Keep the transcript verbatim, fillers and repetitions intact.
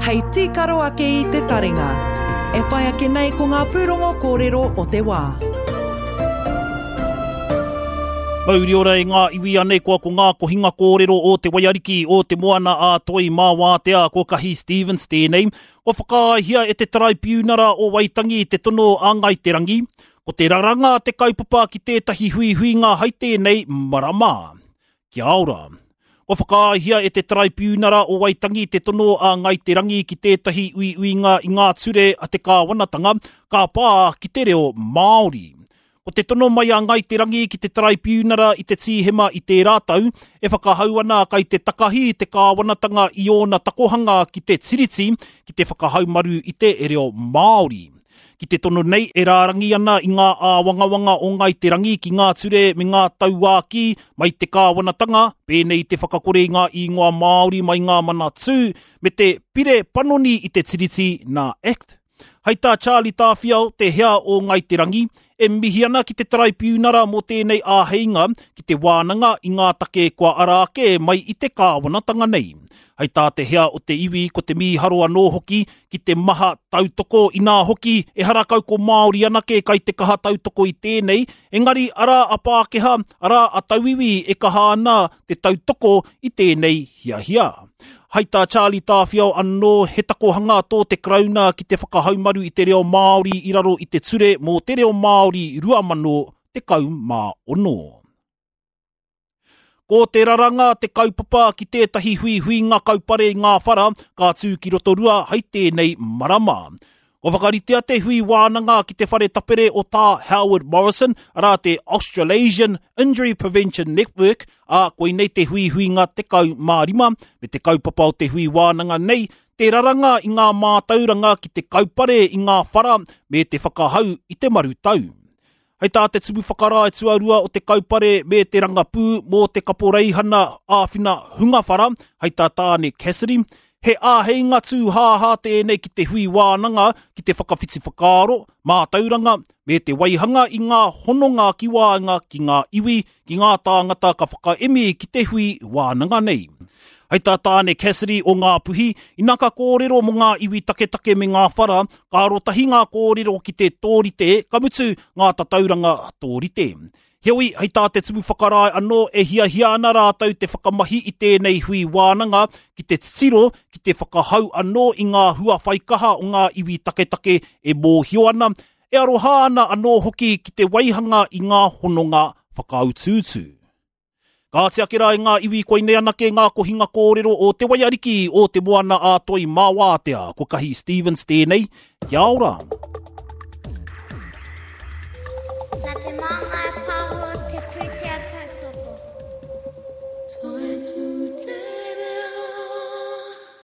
hei tīkaro ake i te taringa. E whai ake nei ko ngā pūrongo kōrero o te wā. Mauri ora e ngā iwi anei koa ko ngā kohinga kōrero o te waiariki o te moana a Toi mā wātea ko Kahi Stevens tēnei. Kua whakaaehia e te Taraipiunara o Waitangi te tono a Ngai Te Rangi. Ko te raranga te kaupapa ki tētahi huihuinga hai tēnei marama. Kia ora. Kua whakaaehia e te Taraipiunara o Waitangi te tono a Ngai Te Rangi ki tētahi uiuinga i ngā ture a te kāwanatanga ka pā ki te reo Māori. Ko te tono mai a Ngai Te Rangi ki te Taraipiunara i te Tīhema i tērā tau, e whakahau ana kai te takahi te kāwanatanga i ōna takohanga ki te tiriti ki te whakahaumaru i te reo Māori. Ki te tono nei e rārangi ana i ngā āwangawanga o Ngai Te Rangi ki ngā ture me ngā tauākī mai te kāwanatanga, pēnei te whakakore i ngā ingoa Māori mai ngā manatū, me te pire panoni i te tiriti nā Act. Hai tā Charlie Tāwhiao, te hea o Ngai Te Rangi, e mihi ana ki te Taraipiunara mō tēnei āheinga ki te wānanga i ngā take kua ara ake mai i te kāwanatanga nei. Hai tā te hea o te iwi ko te mīharo anō hoki ki te maha tautoko inā hoki e harakau ko Māori anake kai te kaha tautoko i tēnei, engari arā a Pākehā, arā a tauiwi e kaha ana te tautoko i tēnei hiahia. Hai tā Charlie Tāwhiao anō he takohanga tō te Karauna ki te whakahaumaru i te reo Māori i raro i te ture mō te reo Māori rua mano tekau mā ono. Ko te raranga te kaupapa ki tētahi huihuinga kaupare i ngā whara ka tū ki Rotorua hai tēnei marama. Kua whakaritea te hui wānanga ki te whare tapere o tā Howard Morrison, arā te Australasian Injury Prevention Network, ā koinei te huihuinga tekau mā rima, me te kaupapa o te hui wānanga nei, te raranga i ngā mātauranga ki te kaupare i ngā whara me te whakahau i te marutau. Hei tā te tumu whakarae tuarua o te kaupare me te rangapū mō te kaporeihana āwhina hunga whara, hei tā Tāne Cassidy, he āheinga tūhāhā tēnei ki te hui wānanga ki te whakawhiti whakaaro, mātauranga, me te waihanga i ngā hononga ki waenga ki ngā iwi, ki ngā tāngata ka whakaemi ki te hui wānanga nei. Hei tā Tāne Cassidy o Ngāpuhi, ina ka kōrero mō ngā iwi taketake me ngā whara, ka arotahi ngā kōrero ki te tōrite, ka mutu ngā tatauranga tōrite. Heoi, hei tā te tumu whakarae anō e hiahia ana rātou te whakamahi i tēnei hui wānanga ki te titiro, ki te whakahau anō i ngā hua whaikaha o ngā iwi taketake e mōhio ana, e aroha ana anō hoki ki te waihanga i ngā hononga whakautuutu. Ka ati ake rā i ngā iwi koinei anake ngā kohinga kōrero o te waiariki o te moana a Toi mā wātea. Ko Kahi Stevens tēnei. Kia ora. Nā te Māngai Pāho te pūtea tautoko.